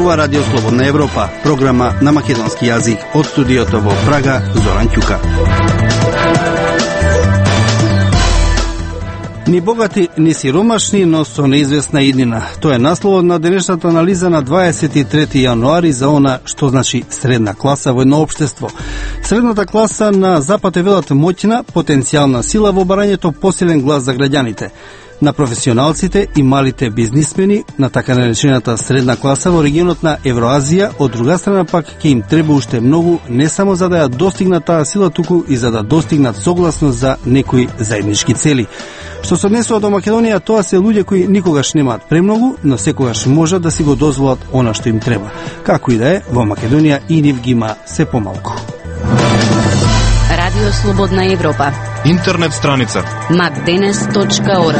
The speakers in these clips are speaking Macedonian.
зборува Радио Слободна Европа, програма на македонски јазик. Од студиото во Прага, Зоран Ќука. Ни богати, ни сиромашни, но со неизвестна иднина. Тоа е насловот на денешната анализа на 23 јануари за она што значи средна класа во едно општество. Средната класа на Запад е велат моќна, потенцијална сила во барањето посилен глас за граѓаните. На професионалците и малите бизнисмени, на така наречената средна класа во регионот на Евроазија, од друга страна пак ќе им треба уште многу, не само за да ја достигнат таа сила, туку и за да достигнат согласност за некои заеднички цели. Што се однесува до Македонија, тоа се луѓе кои никогаш немаат премногу, но секогаш можат да си го дозволат она што им треба. Како и да е, во Македонија и нив ги има се помалку. Радио Слободна Европа. Интернет страница macdenes.org.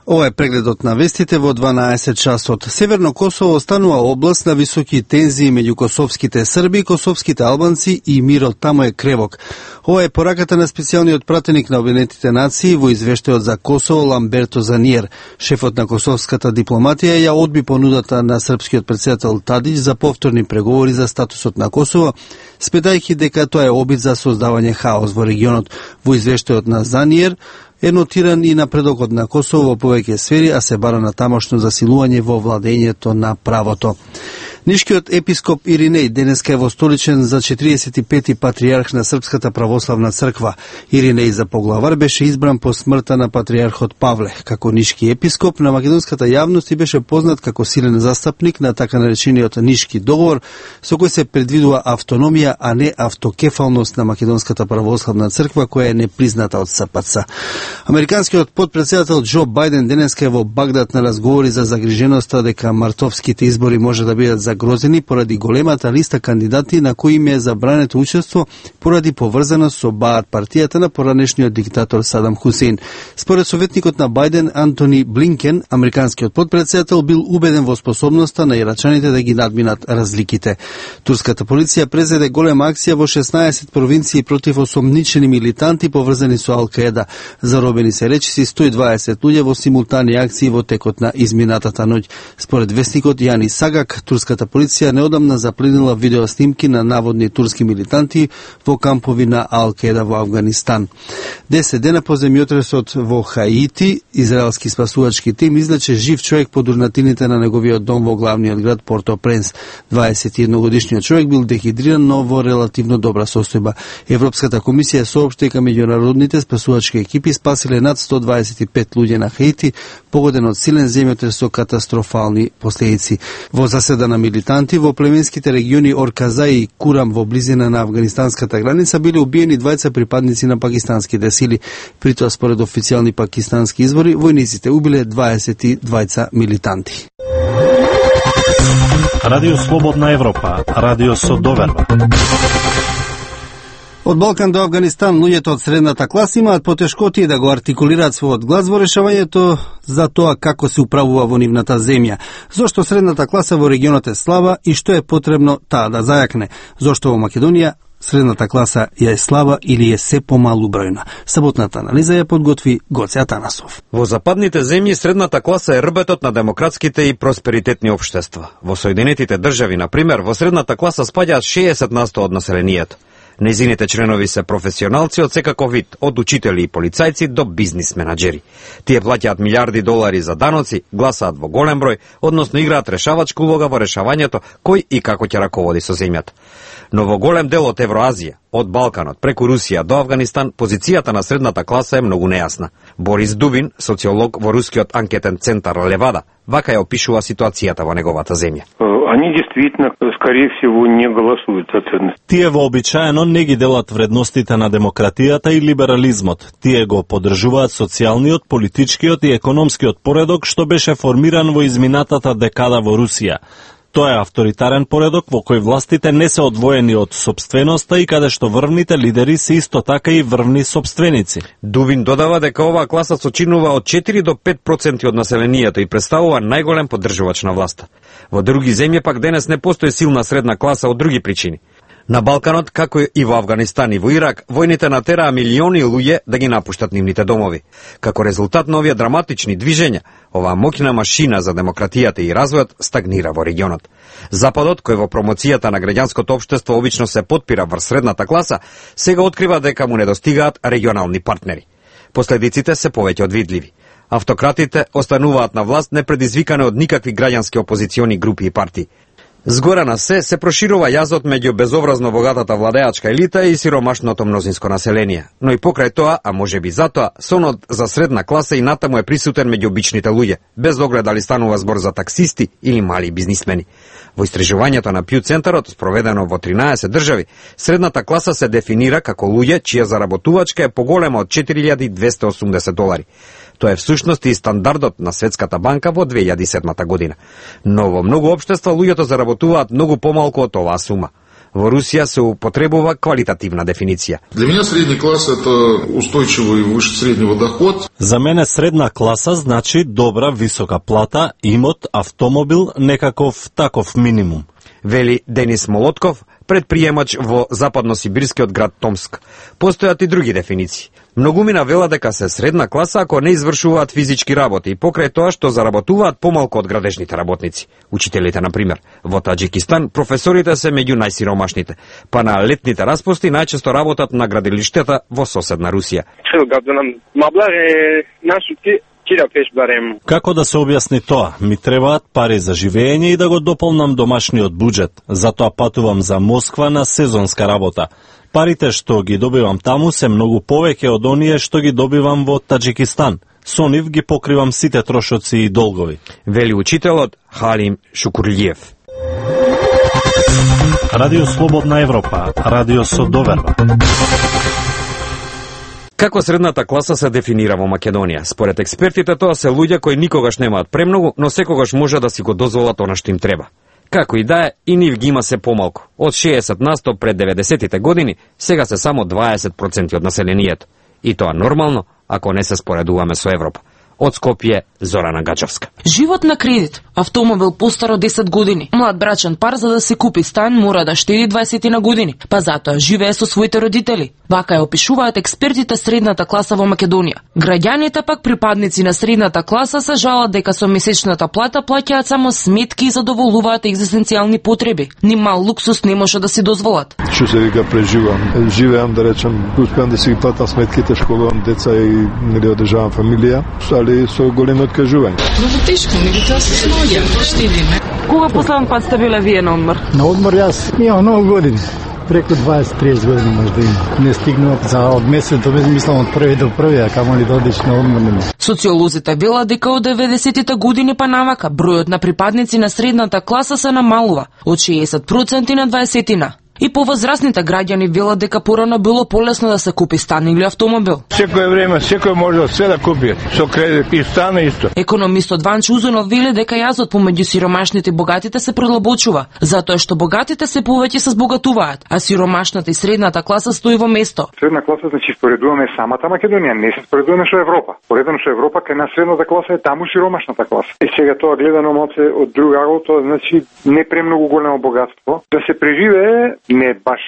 Ова е прегледот на вестите во 12 часот. Северно Косово останува област на високи тензии меѓу косовските срби, косовските албанци и мирот таму е кревок. Ова е пораката на специјалниот пратеник на Обединетите нации во извештајот за Косово Ламберто Заниер. Шефот на косовската дипломатија ја одби понудата на српскиот претседател Тадиќ за повторни преговори за статусот на Косово, спетајќи дека тоа е обид за создавање хаос во регионот. Во извештајот на Заниер е нотиран и напредокот на Косово во повеќе сфери, а се бара на тамошно засилување во владењето на правото. Нишкиот епископ Иринеј денеска е востоличен за 45-ти патријарх на Српската православна црква. Иринеј за поглавар беше избран по смртта на патријархот Павле. Како нишки епископ на македонската јавност и беше познат како силен застапник на така наречениот Нишки договор, со кој се предвидува автономија, а не автокефалност на македонската православна црква, која е непризната од СПЦ. Американскиот подпредседател Џо Бајден денеска е во Багдад на разговори за загриженоста дека мартовските избори може да бидат загрозени поради големата листа кандидати на кои им е забрането учество поради поврзаност со Баат партијата на поранешниот диктатор Садам Хусейн. Според советникот на Бајден Антони Блинкен, американскиот подпредседател бил убеден во способноста на ирачаните да ги надминат разликите. Турската полиција презеде голема акција во 16 провинции против осомничени милитанти поврзани со Ал-Каеда. Заробени се речиси 120 луѓе во симултани акции во текот на изминатата ноќ. Според вестникот Јани Сагак, турската полиција неодамна запленила видеоснимки на наводни турски милитанти во кампови на Ал-Каеда во Авганистан. 10 дена по земјотресот во Хаити, израелски спасувачки тим излече жив човек под урнатините на неговиот дом во главниот град Порто-Пренс. 21-годишниот човек бил дехидриран, но во релативно добра состојба. Европската комисија соопшти дека меѓународните спасувачки екипи спасиле над 125 луѓе на Хаити, погоден од силен земјотрес со катастрофални последици. Во заседа на милитанти во племенските региони Орказа и Курам во близина на афганистанската граница биле убиени двајца припадници на пакистанските сили. Притоа, според официјални пакистански извори, војниците убиле 22 милитанти. Радио Слободна Европа, радио со доверба. Од Балкан до Авганистан, луѓето од средната класа имаат потешкоти да го артикулираат својот глас во решавањето за тоа како се управува во нивната земја. Зошто средната класа во регионот е слаба и што е потребно таа да зајакне? Зошто во Македонија средната класа ја е слаба или е се помалу бројна? Саботната анализа ја подготви Гоце Атанасов. Во западните земји средната класа е рбетот на демократските и просперитетни општества. Во Соединетите држави, на пример, во средната класа спаѓаат 60% од населението. Нејзините членови се професионалци од секаков вид, од учители и полицајци до бизнис менаџери. Тие плаќаат милиарди долари за даноци, гласаат во голем број, односно играат решавачка улога во решавањето кој и како ќе раководи со земјата. Но во голем дел од Евроазија, од Балканот преку Русија до Авганистан, позицијата на средната класа е многу нејасна. Борис Дубин, социолог во рускиот анкетен центар Левада, вака ја опишува ситуацијата во неговата земја. Они действително, скорее всего, не голосуют за ценности. Тие вообичаено не ги делат вредностите на демократијата и либерализмот. Тие го поддржуваат социјалниот, политичкиот и економскиот поредок што беше формиран во изминатата декада во Русија. Тоа е авторитарен поредок во кој властите не се одвоени од сопственоста и каде што врвните лидери се исто така и врвни сопственици. Дувин додава дека оваа класа сочинува од 4 до 5% од населението и представува најголем поддржувач на власта. Во други земји пак денес не постои силна средна класа од други причини. На Балканот, како и во Авганистан и во Ирак, војните натераа милиони луѓе да ги напуштат нивните домови. Како резултат на овие драматични движења, оваа моќна машина за демократијата и развојот стагнира во регионот. Западот, кој во промоцијата на граѓанското општество обично се потпира врз средната класа, сега открива дека му недостигаат регионални партнери. Последиците се повеќе од видливи. Автократите остануваат на власт непредизвикане од никакви граѓански опозициони групи и партии. Згора на се проширува јазот меѓу безобразно богатата владеачка елита и сиромашното мнозинско население. Но и покрај тоа, а можеби затоа, сонот за средна класа и натаму е присутен меѓу обичните луѓе, без оглед дали станува збор за таксисти или мали бизнисмени. Во истражувањето на Пју центарот, спроведено во 13 држави, средната класа се дефинира како луѓе чија заработувачка е поголема од $4280. Тоа е всушност и стандардот на Светската банка во 2007 година. Но во многу општества луѓето заработуваат многу помалку од оваа сума. Во Русија се употребува квалитативна дефиниција. Для меня средний класс это устойчивый выше среднего доход. За мене средна класа значи добра висока плата, имот, автомобил, некаков таков минимум. Вели Денис Молотков, предприемач во западносибирскиот град Томск. Постојат и други дефиниции. Многумина велат дека се средна класа ако не извршуваат физички работи и покрај тоа што заработуваат помалку од градежните работници. Учителите, например. Во Таџикистан професорите се меѓу најсиромашните, па на летните распусти најчесто работат на градилиштата во соседна Русија. Како да се објасни тоа? Ми требаат пари за живење и да го дополнам домашниот буџет. Затоа патувам за Москва на сезонска работа. Парите што ги добивам таму се многу повеќе од оние што ги добивам во Таџикистан. Со нив ги покривам сите трошоци и долгови. Вели учителот Халим Шукурлиев. Радио Слободна Европа, радио со доверба. Како средната класа се дефинира во Македонија? Според експертите тоа се луѓе кои никогаш немаат премногу, но секогаш може да си го дозволат она што им треба. Како и да е, и нив ги има се помалку. Од 60% пред 90-тите години, сега се само 20% од населението. И тоа нормално, ако не се споредуваме со Европа. Од Скопје, Зорана Гачевска. Живот на кредит. Автомобил постар од 10 години. Млад брачен пар за да се купи стан мора да штеди 20 на години, па затоа живее со своите родители. Вака ја опишуваат експертите средната класа во Македонија. Граѓаните пак припадници на средната класа се жалат дека со месечната плата плаќаат само сметки и задоволуваат екзистенцијални потреби. Ни мал луксус не може да си дозволат. Што се вика преживам? Живеам, да речем, успеам да си ги платам сметките, школувам деца и нели одржавам фамилија, али со големи откажувања. Много тешко, меѓутоа се снаоѓаме, штедиме. Кога последен пат сте биле вие на одмор? На одмор јас имам многу години. Преку 20-30 години може да има. Не стигнува за од месец до месец, мислам од први до први, а камо ли да одиш на одмор. Социолозите велат дека од 90-тите години па навака бројот на припадници на средната класа се намалува од 60% на 20%. И повозрастните граѓани велат дека порано било полесно да се купи стан или автомобил. Секое време, секој може све да купи, со кредит и стан исто. Економистот Ванчо Узунов вели дека јазот помеѓу сиромашните и богатите се продлабочува, затоа што богатите се повеќе се збогатуваат, а сиромашната и средната класа стои во место. Средна класа значи споредуваме самата Македонија, не се споредуваме со Европа. Поредено со Европа, кај на средната класа е таму сиромашната класа. И сега тоа гледано малце од друг агол, тоа значи не премногу големо богатство, да се преживее не баш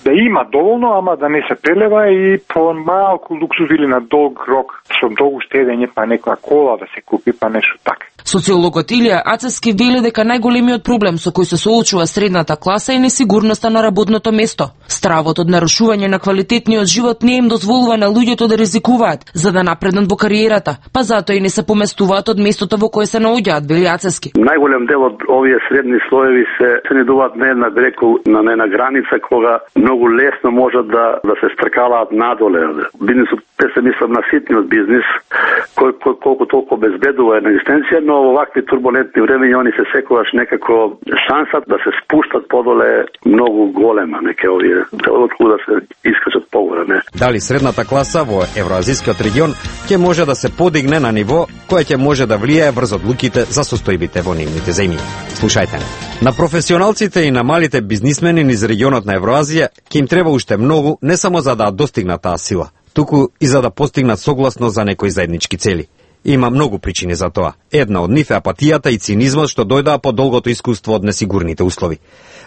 да има доволно, ама да не се прелева и по малку луксуз или на долг рок, со долго штедење, па некоја кола да се купи, па нешто така. Социологот Илија Ацевски вели дека најголемиот проблем со кој се соочува средната класа е несигурноста на работното место. Стравот од нарушување на квалитетниот живот не им дозволува на луѓето да ризикуваат за да напреднат во кариерата, па затоа и не се поместуваат од местото во кое се наоѓаат, вели Ацевски. Најголем дел од овие средни слоеви се најдуваат на една бреку, на една граница кога многу лесно можат да се стркалаат надоле. Бизнисот, те се мислам на ситниот бизнис, кој колку толку безбедува една екзистенција, но во вакви турбулентни времења они се секогаш некако шансат да се спуштат подоле многу голема, неке овие откуда се искачат погоре, не. Дали средната класа во евроазискиот регион ќе може да се подигне на ниво кое ќе може да влијае врз одлуките за состојбите во нивните земји? Слушајте не. На професионалците и на малите бизнисмени низ регионот на Евроазија ќе им треба уште многу, не само за да достигнат таа сила, туку и за да постигнат согласно за некои заеднички цели. Има многу причини за тоа. Една од нив е апатијата и цинизмот што дојдоа по долгото искуство од несигурните услови.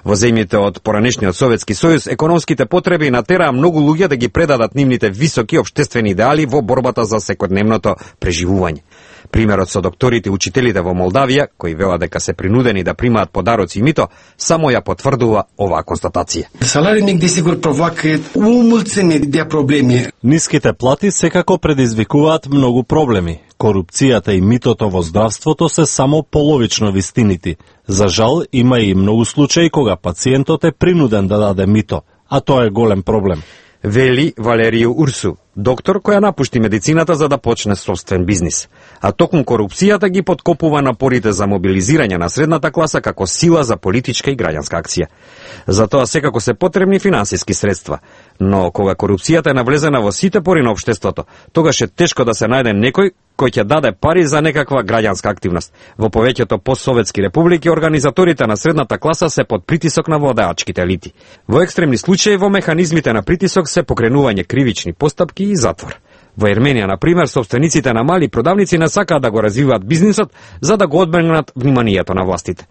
Во земјите од поранешниот Советски сојуз, економските потреби натераа многу луѓе да ги предадат нивните високи општествени идеали во борбата за секојдневното преживување. Примерот со докторите и учителите во Молдавија, кои велат дека се принудени да примаат подароци и мито, само ја потврдува оваа констатација. Салариul mic desigur provoacă o mulțime de probleme. Ниските плати секако предизвикуваат многу проблеми. Корупцијата и митото во здравството се само половично вистините. За жал, има и многу случаи кога пациентот е принуден да даде мито, а тоа е голем проблем. Вели Валерио Урсу, доктор која напушти медицината за да почне собствен бизнис. А токму корупцијата ги подкопува напорите за мобилизирање на средната класа како сила за политичка и граѓанска акција. Затоа секако се потребни финансиски средства. Но кога корупцијата е навлезена во сите пори на општеството, тогаш е тешко да се најде некој кој ќе даде пари за некаква граѓанска активност. Во повеќето постсоветски републики организаторите на средната класа се под притисок на владеачките елити. Во екстремни случаи во механизмите на притисок се покренување кривични постапки и затвор. Во Ерменија, на пример, собствениците на мали продавници не сакаат да го развиваат бизнисот за да го одбегнат вниманието на властите.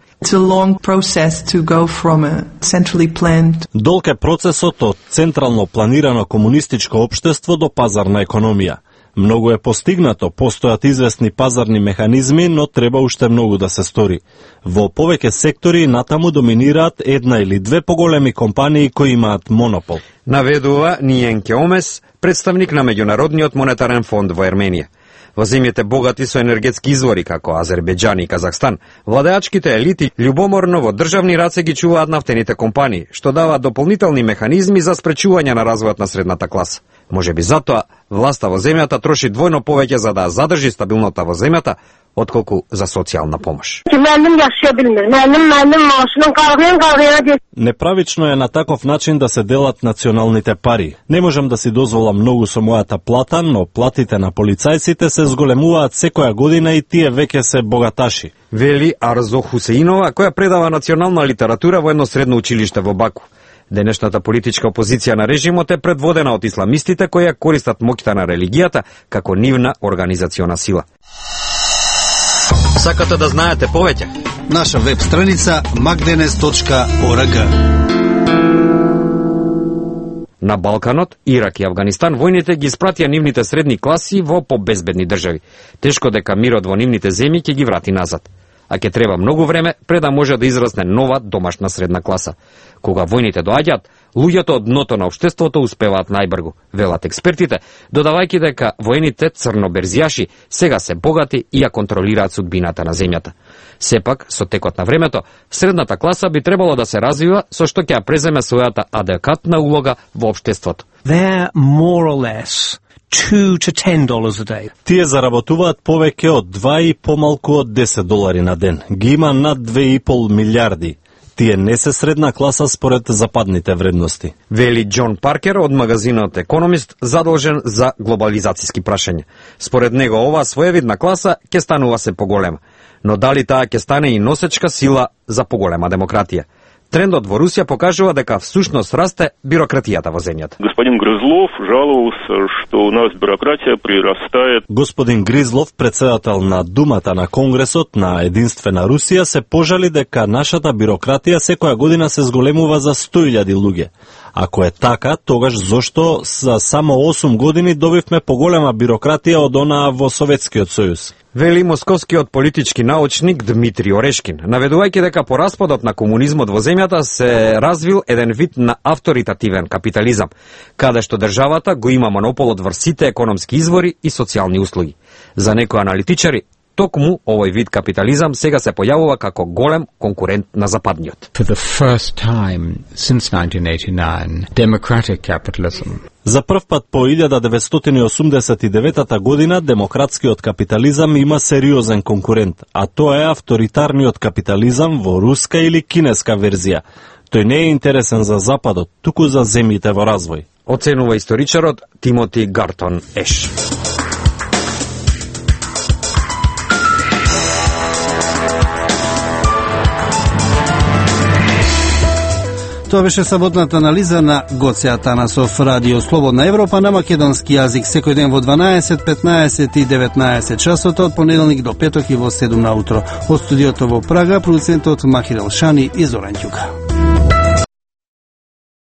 Долг е процесот од централно планирано комунистичко општество до пазарна економија. Многу е постигнато, постојат известни пазарни механизми, но треба уште многу да се стори. Во повеќе сектори натаму доминираат една или две поголеми компании кои имаат монопол. Наведува Ниенке Омес, представник на Меѓународниот монетарен фонд во Ерменија. Во земјите богати со енергетски извори како Азербејџан и Казахстан, владеачките елити љубоморно во државни раце ги чуваат нафтените компании, што даваат дополнителни механизми за спречување на развојот на средната класа. Можеби затоа власта во земјата троши двојно повеќе за да задржи стабилнота во земјата, отколку за социјална помош. Неправично е на таков начин да се делат националните пари. Не можам да си дозволам многу со мојата плата, но платите на полицајците се зголемуваат секоја година и тие веќе се богаташи. Вели Арзо Хусеинова, која предава национална литература во едно средно училиште во Баку. Денешната политичка опозиција на режимот е предводена од исламистите кои ја користат моќта на религијата како нивна организациона сила. Сакате да знаете повеќе? Наша веб страница magdenes.org. На Балканот, Ирак и Авганистан војните ги испратија нивните средни класи во побезбедни држави. Тешко дека мирот во нивните земји ќе ги врати назад. А ќе треба многу време пред да може да израсне нова домашна средна класа. Кога војните доаѓаат, луѓето од дното на општеството успеваат најбргу, велат експертите, додавајќи дека воените црноберзијаши сега се богати и ја контролираат судбината на земјата. Сепак, со текот на времето, средната класа би требало да се развива со што ќе ја преземе својата адекватна улога во општеството. They're more or less $2 to $10 a day. Тие заработуваат повеќе од 2 и помалку од $10 на ден. Ги има над 2,5 милиарди. Тие не се средна класа според западните вредности. Вели Џон Паркер од магазинот Економист, задолжен за глобализацијски прашања. Според него оваа своевидна класа ќе станува се поголема. Но дали таа ќе стане и носечка сила за поголема демократија? Трендот во Русија покажува дека всушност расте бирократијата во земјата. Господин Грызлов жалувался, што у нас бюрократија прирастает. Господин Гризлов, председател на Думата на Конгресот на Единствена Русија, се пожали дека нашата бирократија секоја година се зголемува за 100.000 луѓе. Ако е така, тогаш зошто за само 8 години добивме поголема бирократија од онаа во Советскиот сојуз? Вели московскиот политички научник Дмитрий Орешкин, наведувајќи дека по распадот на комунизмот во земјата се развил еден вид на авторитативен капитализам, каде што државата го има монополот врз сите економски извори и социјални услуги. За некои аналитичари, токму овој вид капитализам сега се појавува како голем конкурент на западниот. For the first time since 1989, democratic capitalism. За прв пат по 1989 година демократскиот капитализам има сериозен конкурент, а тоа е авторитарниот капитализам во руска или кинеска верзија. Тој не е интересен за Западот, туку за земјите во развој. Оценува историчарот Тимоти Гартон Еш. Тоа беше саботната анализа на Гоце Атанасов. Радио Слободна Европа на македонски јазик секој ден во 12, 15 и 19 часот од понеделник до петок и во 7 на утро. Од студиото во Прага, продуцентот Махир Елшани и Зоран Ѓука.